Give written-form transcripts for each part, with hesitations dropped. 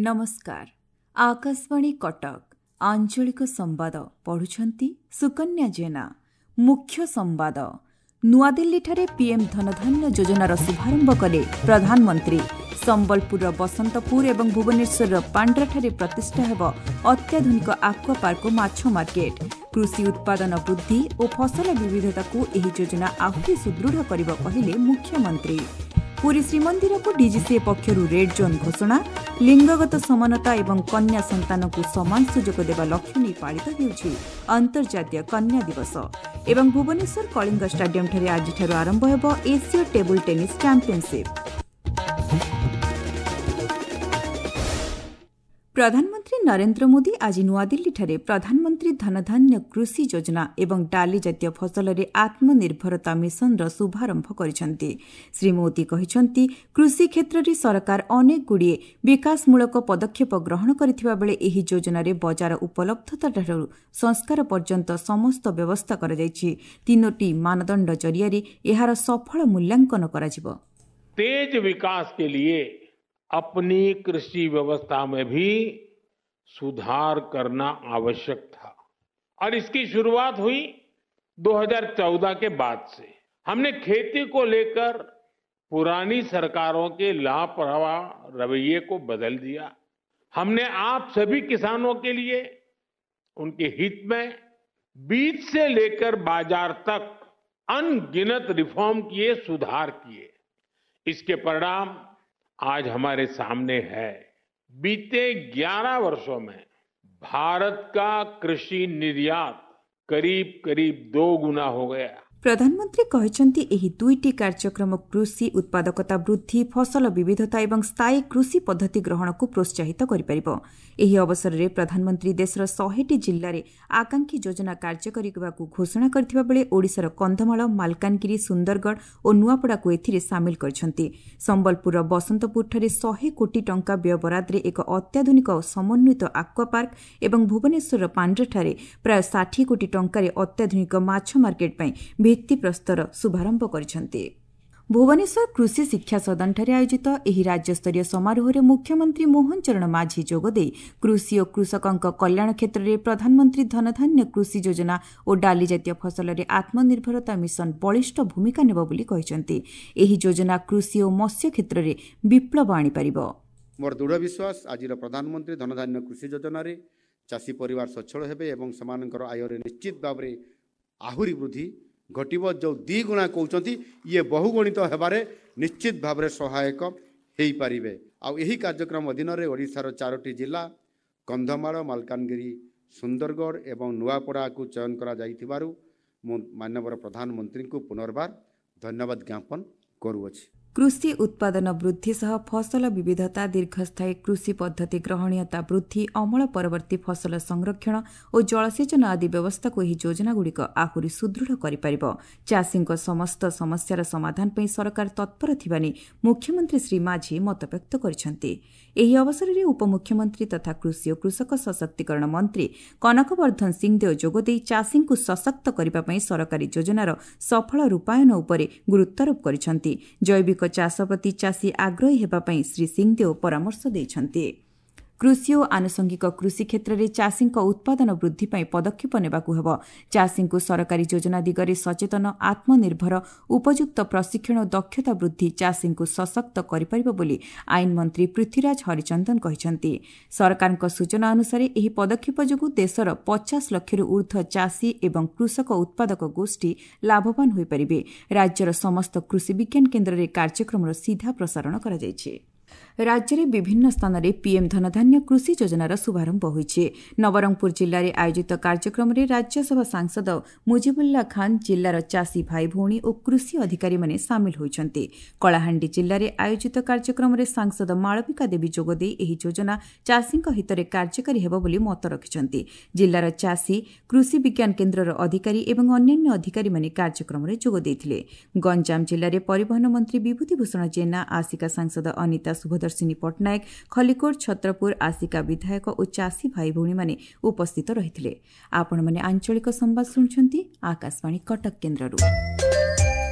ନମସ୍କାର, ଆକାଶବାଣୀ କଟକ, ଆଞ୍ଚଳିକ ସମ୍ବାଦ ପଢ଼ୁଛନ୍ତି ସୁକନ୍ୟା ଜେନା। ମୁଖ୍ୟ ସମ୍ବାଦ। ନୂଆଦିଲ୍ଲୀଠାରେ ପିଏମ୍ ଧନଧାନ୍ୟ ଯୋଜନାର ଶୁଭାରମ୍ଭ କଲେ ପ୍ରଧାନମନ୍ତ୍ରୀ। ସମ୍ବଲପୁରର ବସନ୍ତପୁର ଏବଂ ଭୁବନେଶ୍ୱରର ପାଣ୍ଡ୍ରାଠାରେ ପ୍ରତିଷ୍ଠା ହେବ ଅତ୍ୟାଧୁନିକ ଆକ୍ୱାପାର୍କ ଓ ମାଛ ମାର୍କେଟ। କୃଷି ଉତ୍ପାଦନ ବୃଦ୍ଧି ଓ ଫସଲ ବିବିଧତାକୁ ଏହି ଯୋଜନା ଆହୁରି ସୁଦୃଢ଼ କରିବ, କହିଲେ ମୁଖ୍ୟମନ୍ତ୍ରୀ। ପୁରୀ ଶ୍ରୀମନ୍ଦିରକୁ ଡିଜିସିଏ ପକ୍ଷରୁ ରେଡ୍ ଜୋନ୍ ଘୋଷଣା। ଲିଙ୍ଗଗତ ସମାନତା ଏବଂ କନ୍ୟା ସନ୍ତାନଙ୍କୁ ସମାନ ସୁଯୋଗ ଦେବା ଲକ୍ଷ୍ୟ ନେଇ ପାଳିତ ହେଉଛି ଅନ୍ତର୍ଜାତୀୟ କନ୍ୟା ଦିବସ। ଏବଂ ଭୁବନେଶ୍ୱର କଳିଙ୍ଗ ଷ୍ଟାଡିୟମଠାରେ ଆଜିଠାରୁ ଆରମ୍ଭ ହେବ ଏସୀୟ ଟେବୁଲ ଟେନିସ୍ ଚାମ୍ପିୟନସିପ୍। ପ୍ରଧାନମନ୍ତ୍ରୀ ନରେନ୍ଦ୍ର ମୋଦି ଆଜି ନୂଆଦିଲ୍ଲୀଠାରେ ପ୍ରଧାନମନ୍ତ୍ରୀ ଧନଧାନ୍ୟ କୃଷି ଯୋଜନା ଏବଂ ଡାଲି ଜାତୀୟ ଫସଲରେ ଆତ୍ମନିର୍ଭରତା ମିଶନର ଶୁଭାରମ୍ଭ କରିଛନ୍ତି। ଶ୍ରୀ ମୋଦି କହିଛନ୍ତି, କୃଷି କ୍ଷେତ୍ରରେ ସରକାର ଅନେକଗୁଡ଼ିଏ ବିକାଶମୂଳକ ପଦକ୍ଷେପ ଗ୍ରହଣ କରିଥିବା ବେଳେ ଏହି ଯୋଜନାରେ ବଜାର ଉପଲବ୍ଧତାଠାରୁ ସଂସ୍କାର ପର୍ଯ୍ୟନ୍ତ ସମସ୍ତ ବ୍ୟବସ୍ଥା କରାଯାଇଛି। ତିନୋଟି ମାନଦଣ୍ଡ ଜରିଆରେ ଏହାର ସଫଳ ମୂଲ୍ୟାଙ୍କନ କରାଯିବ। तेज विकास के लिए अपनी कृषि व्यवस्था में भी सुधार करना आवश्यक था और इसकी शुरुआत हुई 2014 के बाद से। हमने खेती को लेकर पुरानी सरकारों के लापरवाह रवैये को बदल दिया। हमने आप सभी किसानों के लिए उनके हित में बीज से लेकर बाजार तक अनगिनत रिफॉर्म किए, सुधार किए। इसके परिणाम आज हमारे सामने है। बीते 11 वर्षों में भारत का कृषि निर्यात करीब करीब 2 गुना हो गया। ପ୍ରଧାନମନ୍ତ୍ରୀ କହିଛନ୍ତି, ଏହି ଦୁଇଟି କାର୍ଯ୍ୟକ୍ରମ କୃଷି ଉତ୍ପାଦକତା ବୃଦ୍ଧି, ଫସଲ ବିବିଧତା ଏବଂ ସ୍ଥାୟୀ କୃଷି ପଦ୍ଧତି ଗ୍ରହଣକୁ ପ୍ରୋତ୍ସାହିତ କରିପାରିବ। ଏହି ଅବସରରେ ପ୍ରଧାନମନ୍ତ୍ରୀ ଦେଶର 100ଟି ଜିଲ୍ଲାରେ ଆକାଂକ୍ଷୀ ଯୋଜନା କାର୍ଯ୍ୟ କରିବାକୁ ଘୋଷଣା କରିଥିବା ବେଳେ ଓଡ଼ିଶାର କନ୍ଧମାଳ, ମାଲକାନଗିରି, ସୁନ୍ଦରଗଡ଼ ଓ ନୂଆପଡ଼ାକୁ ଏଥିରେ ସାମିଲ କରିଛନ୍ତି। ସମ୍ବଲପୁରର ବସନ୍ତପୁରଠାରେ 100 କୋଟି ଟଙ୍କା ବ୍ୟୟବରାଦରେ ଏକ ଅତ୍ୟାଧୁନିକ ସମନ୍ୱିତ ଆକ୍ୱାପାର୍କ ଏବଂ ଭୁବନେଶ୍ୱରର ପାଣ୍ଡ୍ରାଠାରେ ପ୍ରାୟ 60 କୋଟି ଟଙ୍କାରେ ଅତ୍ୟାଧୁନିକ ମାଛ ମାର୍କେଟ ପାଇଁ ଭିତ୍ତିପ୍ରସ୍ତର ଶୁଭାରମ୍ଭ କରିଛନ୍ତି। ଭୁବନେଶ୍ୱର କୃଷି ଶିକ୍ଷା ସଦନଠାରେ ଆୟୋଜିତ ଏହି ରାଜ୍ୟସ୍ତରୀୟ ସମାରୋହରେ ମୁଖ୍ୟମନ୍ତ୍ରୀ ମୋହନ ଚରଣ ମାଝୀ ଯୋଗଦେଇ କୃଷି ଓ କୃଷକଙ୍କ କଲ୍ୟାଣ କ୍ଷେତ୍ରରେ ପ୍ରଧାନମନ୍ତ୍ରୀ ଧନଧାନ୍ୟ କୃଷି ଯୋଜନା ଓ ଡାଲି ଜାତୀୟ ଫସଲରେ ଆତ୍ମନିର୍ଭରତା ମିଶନ ବଳିଷ୍ଠ ଭୂମିକା ନେବ ବୋଲି କହିଛନ୍ତି। ଏହି ଯୋଜନା କୃଷି ଓ ମତ୍ସ୍ୟ କ୍ଷେତ୍ରରେ ବିପ୍ଳବ ଆଣିପାରିବ। ମୋର ଦୃଢ଼ ବିଶ୍ୱାସ, ଆଜିର ପ୍ରଧାନମନ୍ତ୍ରୀ ଧନଧାନ୍ୟ କୃଷି ଯୋଜନାରେ ଚାଷୀ ପରିବାର ସଚ୍ଛଳ ହେବେ ଏବଂ ସେମାନଙ୍କର ଆୟରେ ନିଶ୍ଚିତ ଭାବରେ ଆହୁରି ବୃଦ୍ଧି ଘଟିବ। ଯେଉଁ ଦ୍ୱିଗୁଣା କହୁଛନ୍ତି, ଇଏ ବହୁଗୁଣିତ ହେବାରେ ନିଶ୍ଚିତ ଭାବରେ ସହାୟକ ହେଇପାରିବେ। ଆଉ ଏହି କାର୍ଯ୍ୟକ୍ରମ ଅଧୀନରେ ଓଡ଼ିଶାର 4ଟି ଜିଲ୍ଲା କନ୍ଧମାଳ, ମାଲକାନଗିରି, ସୁନ୍ଦରଗଡ଼ ଏବଂ ନୂଆପଡ଼ାକୁ ଚୟନ କରାଯାଇଥିବାରୁ ମୁଁ ମାନ୍ୟବର ପ୍ରଧାନମନ୍ତ୍ରୀଙ୍କୁ ପୁନର୍ବାର ଧନ୍ୟବାଦ ଜ୍ଞାପନ କରୁଅଛି। କୃଷି ଉତ୍ପାଦନ ବୃଦ୍ଧି ସହ ଫସଲ ବିବିଧତା, ଦୀର୍ଘସ୍ଥାୟୀ କୃଷି ପଦ୍ଧତି ଗ୍ରହଣୀୟତା ବୃଦ୍ଧି, ଅମଳ ପରବର୍ତ୍ତୀ ଫସଲ ସଂରକ୍ଷଣ ଓ ଜଳସେଚନ ଆଦି ବ୍ୟବସ୍ଥାକୁ ଏହି ଯୋଜନାଗୁଡ଼ିକ ଆହୁରି ସୁଦୃଢ଼ କରିପାରିବ। ଚାଷୀଙ୍କ ସମସ୍ତ ସମସ୍ୟାର ସମାଧାନ ପାଇଁ ସରକାର ତତ୍ପର ଥିବା ନେଇ ମୁଖ୍ୟମନ୍ତ୍ରୀ ଶ୍ରୀ ମାଝୀ ମତବ୍ୟକ୍ତ କରିଛନ୍ତି। ଏହି ଅବସରରେ ଉପମୁଖ୍ୟମନ୍ତ୍ରୀ ତଥା କୃଷି ଓ କୃଷକ ସଶକ୍ତିକରଣ ମନ୍ତ୍ରୀ କନକବର୍ଦ୍ଧନ ସିଂଦେଓ ଯୋଗଦେଇ ଚାଷୀଙ୍କୁ ସଶକ୍ତ କରିବା ପାଇଁ ସରକାରୀ ଯୋଜନାର ସଫଳ ରୂପାୟନ ଉପରେ ଗୁରୁତ୍ୱାରୋପ କରିଛନ୍ତି। ଜୈବିକ ଚାଷ ପ୍ରତି ଚାଷୀ ଆଗ୍ରହୀ ହେବା ପାଇଁ ଶ୍ରୀ ସିଂଦେଓ ପରାମର୍ଶ ଦେଇଛନ୍ତି। କୃଷି ଓ ଆନୁଷଙ୍ଗିକ କୃଷି କ୍ଷେତ୍ରରେ ଚାଷୀଙ୍କ ଉତ୍ପାଦନ ବୃଦ୍ଧି ପାଇଁ ପଦକ୍ଷେପ ନେବାକୁ ହେବ। ଚାଷୀଙ୍କୁ ସରକାରୀ ଯୋଜନା ଦିଗରେ ସଚେତନ, ଆତ୍ମନିର୍ଭର, ଉପଯୁକ୍ତ ପ୍ରଶିକ୍ଷଣ ଓ ଦକ୍ଷତା ବୃଦ୍ଧି ଚାଷୀଙ୍କୁ ସଶକ୍ତ କରିପାରିବ ବୋଲି ଆଇନ ମନ୍ତ୍ରୀ ପୃଥ୍ୱୀରାଜ ହରିଚନ୍ଦନ କହିଛନ୍ତି। ସରକାରଙ୍କ ସୂଚନା ଅନୁସାରେ ଏହି ପଦକ୍ଷେପ ଯୋଗୁଁ ଦେଶର 50 ଲକ୍ଷରୁ ଊର୍ଦ୍ଧ୍ୱ ଚାଷୀ ଏବଂ କୃଷକ ଉତ୍ପାଦକ ଗୋଷ୍ଠୀ ଲାଭବାନ ହୋଇପାରିବେ। ରାଜ୍ୟର ସମସ୍ତ କୃଷି ବିଜ୍ଞାନ କେନ୍ଦ୍ରରେ କାର୍ଯ୍ୟକ୍ରମର ସିଧା ପ୍ରସାରଣ କରାଯାଇଛି। ରାଜ୍ୟରେ ବିଭିନ୍ନ ସ୍ଥାନରେ ପିଏମ୍ ଧନଧାନ୍ୟ କୃଷି ଯୋଜନାର ଶୁଭାରମ୍ଭ ହୋଇଛି। ନବରଙ୍ଗପୁର ଜିଲ୍ଲାରେ ଆୟୋଜିତ କାର୍ଯ୍ୟକ୍ରମରେ ରାଜ୍ୟସଭା ସାଂସଦ ମୁଜିବୁଲ୍ଲା ଖାନ୍, ଜିଲ୍ଲାର ଚାଷୀ ଭାଇଭଉଣୀ ଓ କୃଷି ଅଧିକାରୀମାନେ ସାମିଲ ହୋଇଛନ୍ତି। କଳାହାଣ୍ଡି ଜିଲ୍ଲାରେ ଆୟୋଜିତ କାର୍ଯ୍ୟକ୍ରମରେ ସାଂସଦ ମାଳବିକା ଦେବୀ ଯୋଗଦେଇ ଏହି ଯୋଜନା ଚାଷୀଙ୍କ ହିତରେ କାର୍ଯ୍ୟକାରୀ ହେବ ବୋଲି ମତ ରଖିଛନ୍ତି। ଜିଲ୍ଲାର ଚାଷୀ, କୃଷି ବିଜ୍ଞାନ କେନ୍ଦ୍ରର ଅଧିକାରୀ ଏବଂ ଅନ୍ୟାନ୍ୟ ଅଧିକାରୀମାନେ କାର୍ଯ୍ୟକ୍ରମରେ ଯୋଗ ଦେଇଥିଲେ। ଗଞ୍ଜାମ ଜିଲ୍ଲାରେ ପରିବହନ ମନ୍ତ୍ରୀ ବିଭୂତି ଭୂଷଣ ଜେନା, ଆସିକା ସାଂସଦ ଅନିତା ଶୁଭଦର୍ଶିନୀ ପଟ୍ଟନାୟକ, ଖଲିକୋଟ, ଛତ୍ରପୁର, ଆସିକା ବିଧାୟକ ଓ ଚାଷୀ ଭାଇଭଉଣୀମାନେ ଉପସ୍ଥିତ ରହିଥିଲେ। ଆପଣମାନେ ଆଞ୍ଚଳିକ ସମ୍ବାଦ ଶୁଣୁଛନ୍ତି ଆକାଶବାଣୀ କଟକ କେନ୍ଦ୍ରରୁ।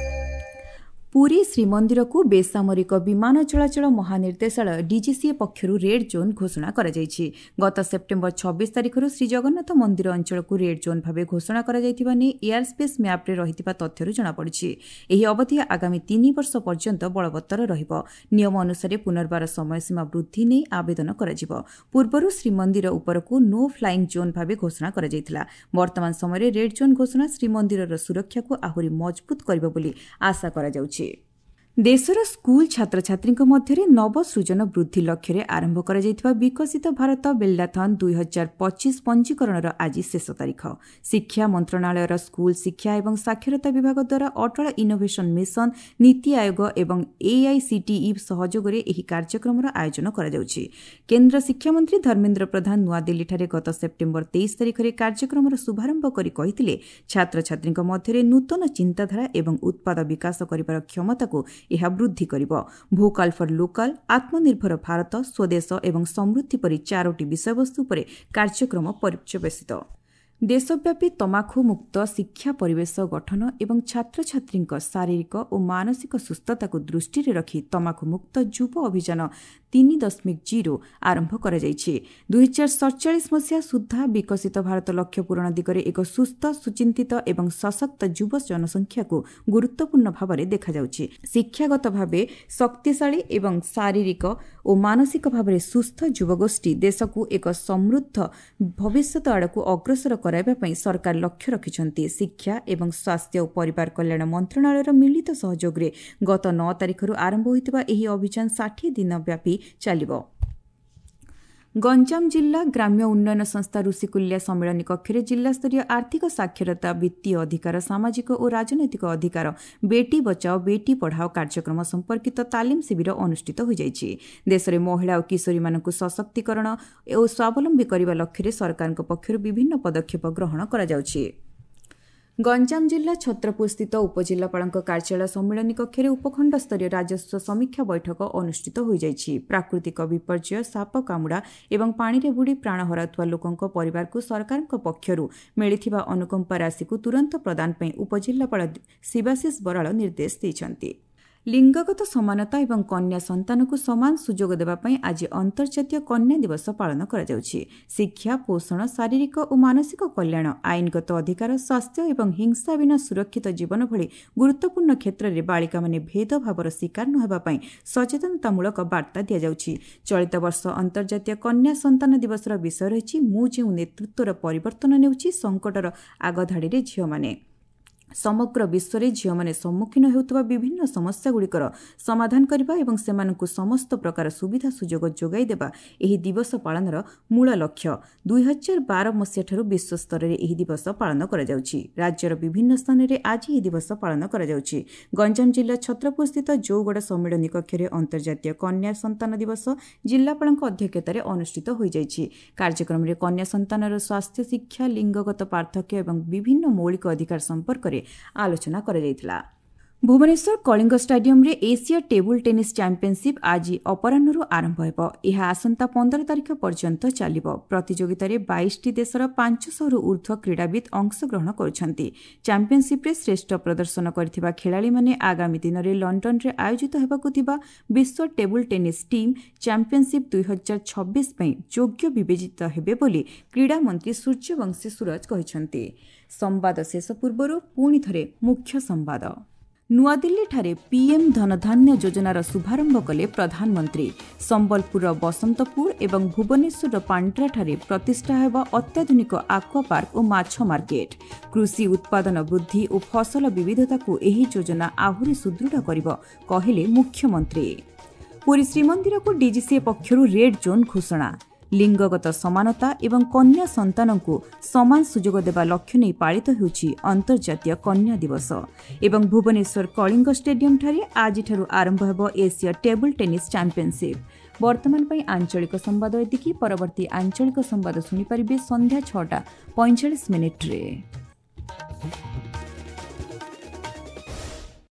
ପୁରୀ ଶ୍ରୀମନ୍ଦିରକୁ ବେସାମରିକ ବିମାନ ଚଳାଚଳ ମହାନିର୍ଦ୍ଦେଶାଳୟ ଡିଜିସିଏ ପକ୍ଷରୁ ରେଡ୍ ଜୋନ୍ ଘୋଷଣା କରାଯାଇଛି। ଗତ ସେପ୍ଟେମ୍ବର 26 ତାରିଖରୁ ଶ୍ରୀଜଗନ୍ନାଥ ମନ୍ଦିର ଅଞ୍ଚଳକୁ ରେଡ୍ ଜୋନ୍ ଭାବେ ଘୋଷଣା କରାଯାଇଥିବା ନେଇ ଏୟାରସ୍ପେସ୍ ମ୍ୟାପ୍ରେ ରହିଥିବା ତଥ୍ୟରୁ ଜଣାପଡ଼ିଛି। ଏହି ଅବଧି ଆଗାମୀ 3 ବର୍ଷ ପର୍ଯ୍ୟନ୍ତ ବଳବତ୍ତର ରହିବ। ନିୟମ ଅନୁସାରେ ପୁନର୍ବାର ସମୟସୀମା ବୃଦ୍ଧି ନେଇ ଆବେଦନ କରାଯିବ। ପୂର୍ବରୁ ଶ୍ରୀମନ୍ଦିର ଉପରକୁ ନୋ ଫ୍ଲାଇଂ ଜୋନ୍ ଭାବେ ଘୋଷଣା କରାଯାଇଥିଲା। ବର୍ତ୍ତମାନ ସମୟରେ ରେଡ୍ ଜୋନ୍ ଘୋଷଣା ଶ୍ରୀମନ୍ଦିରର ସୁରକ୍ଷାକୁ ଆହୁରି ମଜବୁତ କରିବ ବୋଲି ଆଶା କରାଯାଉଛି। ଦେଶର ସ୍କୁଲ ଛାତ୍ରଛାତ୍ରୀଙ୍କ ମଧ୍ୟରେ ନବସୃଜନ ବୃଦ୍ଧି ଲକ୍ଷ୍ୟରେ ଆରମ୍ଭ କରାଯାଇଥିବା ବିକଶିତ ଭାରତ ବିଲ୍ଡାଥନ୍ 2025 ପଞ୍ଜୀକରଣର ଆଜି ଶେଷ ତାରିଖ। ଶିକ୍ଷା ମନ୍ତ୍ରଣାଳୟର ସ୍କୁଲ ଶିକ୍ଷା ଏବଂ ସାକ୍ଷରତା ବିଭାଗ ଦ୍ୱାରା ଅଟଳ ଇନୋଭେସନ୍ ମିଶନ, ନୀତି ଆୟୋଗ ଏବଂ ଏଆଇସିଟିଇ ସହଯୋଗରେ ଏହି କାର୍ଯ୍ୟକ୍ରମର ଆୟୋଜନ କରାଯାଉଛି। କେନ୍ଦ୍ର ଶିକ୍ଷାମନ୍ତ୍ରୀ ଧର୍ମେନ୍ଦ୍ର ପ୍ରଧାନ ନୂଆଦିଲ୍ଲୀଠାରେ ଗତ ସେପ୍ଟେମ୍ବର 23 ତାରିଖରେ କାର୍ଯ୍ୟକ୍ରମର ଶୁଭାରମ୍ଭ କରି କହିଥିଲେ, ଛାତ୍ରଛାତ୍ରୀଙ୍କ ମଧ୍ୟରେ ନୂତନ ଚିନ୍ତାଧାରା ଏବଂ ଉତ୍ପାଦ ବିକାଶ କରିବାର କ୍ଷମତାକୁ ଏହା ବୃଦ୍ଧି କରିବ। ଭୋକାଲ୍ ଫର୍ ଲୋକାଲ୍, ଆତ୍ମନିର୍ଭର ଭାରତ, ସ୍ୱଦେଶ ଏବଂ ସମୃଦ୍ଧି ପରି 4ଟି ବିଷୟବସ୍ତୁ ଉପରେ କାର୍ଯ୍ୟକ୍ରମ ପର୍ଯ୍ୟବସିତ। ଦେଶବ୍ୟାପୀ ତମାଖୁ ମୁକ୍ତ ଶିକ୍ଷା ପରିବେଶ ଗଠନ ଏବଂ ଛାତ୍ରଛାତ୍ରୀଙ୍କ ଶାରୀରିକ ଓ ମାନସିକ ସୁସ୍ଥତାକୁ ଦୃଷ୍ଟିରେ ରଖି ତମାଖୁ ମୁକ୍ତ ଯୁବ ଅଭିଯାନ 3.0 ଆରମ୍ଭ କରାଯାଇଛି। 2047 ମସିହା ସୁଦ୍ଧା ବିକଶିତ ଭାରତ ଲକ୍ଷ୍ୟ ପୂରଣ ଦିଗରେ ଏକ ସୁସ୍ଥ, ସୁଚିନ୍ତିତ ଏବଂ ସଶକ୍ତ ଯୁବ ଜନସଂଖ୍ୟାକୁ ଗୁରୁତ୍ୱପୂର୍ଣ୍ଣ ଭାବରେ ଦେଖାଯାଉଛି। ଶିକ୍ଷାଗତ ଭାବେ ଶକ୍ତିଶାଳୀ ଏବଂ ଶାରୀରିକ ଓ ମାନସିକ ଭାବରେ ସୁସ୍ଥ ଯୁବଗୋଷ୍ଠୀ ଦେଶକୁ ଏକ ସମୃଦ୍ଧ ଭବିଷ୍ୟତ ଆଡ଼କୁ ଅଗ୍ରସର କରାଇବା ପାଇଁ ସରକାର ଲକ୍ଷ୍ୟ ରଖିଛନ୍ତି। ଶିକ୍ଷା ଏବଂ ସ୍ୱାସ୍ଥ୍ୟ ଓ ପରିବାର କଲ୍ୟାଣ ମନ୍ତ୍ରଣାଳୟର ମିଳିତ ସହଯୋଗରେ ଗତ 9 ତାରିଖରୁ ଆରମ୍ଭ ହୋଇଥିବା ଏହି ଅଭିଯାନ 60 ଦିନ ବ୍ୟାପୀ ଚାଲିବ। ଗଞ୍ଜାମ ଜିଲ୍ଲା ଗ୍ରାମ୍ୟ ଉନ୍ନୟନ ସଂସ୍ଥା ଋଷିକୁଲ୍ୟା ସମ୍ମିଳନୀ କକ୍ଷରେ ଜିଲ୍ଲାସ୍ତରୀୟ ଆର୍ଥିକ ସାକ୍ଷରତା, ବିତ୍ତୀୟ ଅଧିକାର, ସାମାଜିକ ଓ ରାଜନୈତିକ ଅଧିକାର, ବେଟି ବଚାଓ ବେଟି ପଢ଼ାଓ କାର୍ଯ୍ୟକ୍ରମ ସମ୍ପର୍କିତ ତାଲିମ ଶିବିର ଅନୁଷ୍ଠିତ ହୋଇଯାଇଛି। ଦେଶରେ ମହିଳା ଓ କିଶୋରୀମାନଙ୍କୁ ସଶକ୍ତିକରଣ ଓ ସ୍ୱାବଲମ୍ବୀ କରିବା ଲକ୍ଷ୍ୟରେ ସରକାରଙ୍କ ପକ୍ଷରୁ ବିଭିନ୍ନ ପଦକ୍ଷେପ ଗ୍ରହଣ କରାଯାଉଛି। ଗଞ୍ଜାମ ଜିଲ୍ଲା ଛତ୍ରପୁରସ୍ଥିତ ଉପଜିଲ୍ଲାପାଳଙ୍କ କାର୍ଯ୍ୟାଳୟ ସମ୍ମିଳନୀ କକ୍ଷରେ ଉପଖଣ୍ଡସ୍ତରୀୟ ରାଜସ୍ୱ ସମୀକ୍ଷା ବୈଠକ ଅନୁଷ୍ଠିତ ହୋଇଯାଇଛି। ପ୍ରାକୃତିକ ବିପର୍ଯ୍ୟୟ, ସାପ କାମୁଡ଼ା ଏବଂ ପାଣିରେ ବୁଡ଼ି ପ୍ରାଣ ହରାଉଥିବା ଲୋକଙ୍କ ପରିବାରକୁ ସରକାରଙ୍କ ପକ୍ଷରୁ ମିଳିଥିବା ଅନୁକମ୍ପା ରାଶିକୁ ତୁରନ୍ତ ପ୍ରଦାନ ପାଇଁ ଉପଜିଲ୍ଲାପାଳ ଶିବାଶିଷ ବରାଳ ନିର୍ଦ୍ଦେଶ ଦେଇଛନ୍ତି। ଲିଙ୍ଗଗତ ସମାନତା ଏବଂ କନ୍ୟା ସନ୍ତାନକୁ ସମାନ ସୁଯୋଗ ଦେବା ପାଇଁ ଆଜି ଅନ୍ତର୍ଜାତୀୟ କନ୍ୟା ଦିବସ ପାଳନ କରାଯାଉଛି। ଶିକ୍ଷା, ପୋଷଣ, ଶାରୀରିକ ଓ ମାନସିକ କଲ୍ୟାଣ, ଆଇନଗତ ଅଧିକାର, ସ୍ୱାସ୍ଥ୍ୟ ଏବଂ ହିଂସା ବିନା ସୁରକ୍ଷିତ ଜୀବନ ଭଳି ଗୁରୁତ୍ୱପୂର୍ଣ୍ଣ କ୍ଷେତ୍ରରେ ବାଳିକାମାନେ ଭେଦଭାବର ଶିକାର ନ ହେବା ପାଇଁ ସଚେତନତାମୂଳକ ବାର୍ତ୍ତା ଦିଆଯାଉଛି। ଚଳିତ ବର୍ଷ ଅନ୍ତର୍ଜାତୀୟ କନ୍ୟା ସନ୍ତାନ ଦିବସର ବିଷୟ ରହିଛି, ମୁଁ ଯେଉଁ ନେତୃତ୍ୱର ପରିବର୍ତ୍ତନ ନେଉଛି, ସଙ୍କଟର ଆଗଧାଡ଼ିରେ ଝିଅମାନେ। ସମଗ୍ର ବିଶ୍ୱରେ ଝିଅମାନେ ସମ୍ମୁଖୀନ ହେଉଥିବା ବିଭିନ୍ନ ସମସ୍ୟାଗୁଡ଼ିକର ସମାଧାନ କରିବା ଏବଂ ସେମାନଙ୍କୁ ସମସ୍ତ ପ୍ରକାର ସୁବିଧା ସୁଯୋଗ ଯୋଗାଇ ଦେବା ଏହି ଦିବସ ପାଳନର ମୂଳ ଲକ୍ଷ୍ୟ। 2012 ମସିହାଠାରୁ ବିଶ୍ୱସ୍ତରରେ ଏହି ଦିବସ ପାଳନ କରାଯାଉଛି। ରାଜ୍ୟର ବିଭିନ୍ନ ସ୍ଥାନରେ ଆଜି ଏହି ଦିବସ ପାଳନ କରାଯାଉଛି। ଗଞ୍ଜାମ ଜିଲ୍ଲା ଛତ୍ରପୁରସ୍ଥିତ ଜଉଗଡ଼ ସମ୍ମିଳନୀ କକ୍ଷରେ ଅନ୍ତର୍ଜାତୀୟ କନ୍ୟା ସନ୍ତାନ ଦିବସ ଜିଲ୍ଲାପାଳଙ୍କ ଅଧ୍ୟକ୍ଷତାରେ ଅନୁଷ୍ଠିତ ହୋଇଯାଇଛି। କାର୍ଯ୍ୟକ୍ରମରେ କନ୍ୟା ସନ୍ତାନର ସ୍ୱାସ୍ଥ୍ୟ, ଶିକ୍ଷା, ଲିଙ୍ଗଗତ ପାର୍ଥକ୍ୟ ଏବଂ ବିଭିନ୍ନ ମୌଳିକ ଅଧିକାର ସମ୍ପର୍କରେ ଆଲୋଚନା କରାଯାଇଥିଲା। ଭୁବନେଶ୍ୱର କଳିଙ୍ଗ ଷ୍ଟାଡିୟମରେ ଏସୀୟ ଟେବୁଲ୍ ଟେନିସ୍ ଚାମ୍ପିୟନସିପ୍ ଆଜି ଅପରାହ୍ନରୁ ଆରମ୍ଭ ହେବ। ଏହା ଆସନ୍ତା 15 ତାରିଖ ପର୍ଯ୍ୟନ୍ତ ଚାଲିବ। ପ୍ରତିଯୋଗିତାରେ 22ଟି ଦେଶର 500ରୁ ଊର୍ଦ୍ଧ୍ୱ କ୍ରୀଡ଼ାବିତ୍ ଅଂଶଗ୍ରହଣ କରୁଛନ୍ତି। ଚାମ୍ପିୟନସିପ୍ରେ ଶ୍ରେଷ୍ଠ ପ୍ରଦର୍ଶନ କରିଥିବା ଖେଳାଳିମାନେ ଆଗାମୀ ଦିନରେ ଲଣ୍ଡନରେ ଆୟୋଜିତ ହେବାକୁ ଥିବା ବିଶ୍ୱ ଟେବୁଲ୍ ଟେନିସ୍ ଟିମ୍ ଚାମ୍ପିୟନସିପ୍ 2026 ପାଇଁ ଯୋଗ୍ୟ ବିବେଚିତ ହେବେ ବୋଲି କ୍ରୀଡ଼ାମନ୍ତ୍ରୀ ସୂର୍ଯ୍ୟବଂଶୀ ସୂରଜ କହିଛନ୍ତି। ସମ୍ବାଦ ଶେଷ ପୂର୍ବରୁ ପୁଣି ଥରେ ମୁଖ୍ୟ ସମ୍ବାଦ। ନୂଆଦିଲ୍ଲୀଠାରେ ପିଏମ୍ ଧନଧାନ୍ୟ ଯୋଜନାର ଶୁଭାରମ୍ଭ କଲେ ପ୍ରଧାନମନ୍ତ୍ରୀ। ସମ୍ବଲପୁରର ବସନ୍ତପୁର ଏବଂ ଭୁବନେଶ୍ୱରର ପାଣ୍ଡ୍ରାଠାରେ ପ୍ରତିଷ୍ଠା ହେବ ଅତ୍ୟାଧୁନିକ ଆକ୍ୱା ପାର୍କ ଓ ମାଛ ମାର୍କେଟ। କୃଷି ଉତ୍ପାଦନ ବୃଦ୍ଧି ଓ ଫସଲ ବିବିଧତାକୁ ଏହି ଯୋଜନା ଆହୁରି ସୁଦୃଢ଼ କରିବ, କହିଲେ ମୁଖ୍ୟମନ୍ତ୍ରୀ। ପୁରୀ ଶ୍ରୀମନ୍ଦିରକୁ ଡିଜିସିଏ ପକ୍ଷରୁ ରେଡ୍ ଜୋନ୍ ଘୋଷଣା। ଲିଙ୍ଗଗତ ସମାନତା ଏବଂ କନ୍ୟା ସନ୍ତାନଙ୍କୁ ସମାନ ସୁଯୋଗ ଦେବା ଲକ୍ଷ୍ୟ ନେଇ ପାଳିତ ହେଉଛି ଅନ୍ତର୍ଜାତୀୟ କନ୍ୟା ଦିବସ। ଏବଂ ଭୁବନେଶ୍ୱର କଳିଙ୍ଗ ଷ୍ଟାଡିୟମଠାରେ ଆଜିଠାରୁ ଆରମ୍ଭ ହେବ ଏସୀୟ ଟେବୁଲ୍ ଟେନିସ୍ ଚାମ୍ପିୟନସିପ୍। ବର୍ତ୍ତମାନ ପାଇଁ ଆଞ୍ଚଳିକ ସମ୍ବାଦ ଏତିକି। ପରବର୍ତ୍ତୀ ଆଞ୍ଚଳିକ ସମ୍ବାଦ ଶୁଣିପାରିବେ ସନ୍ଧ୍ୟା 6:45।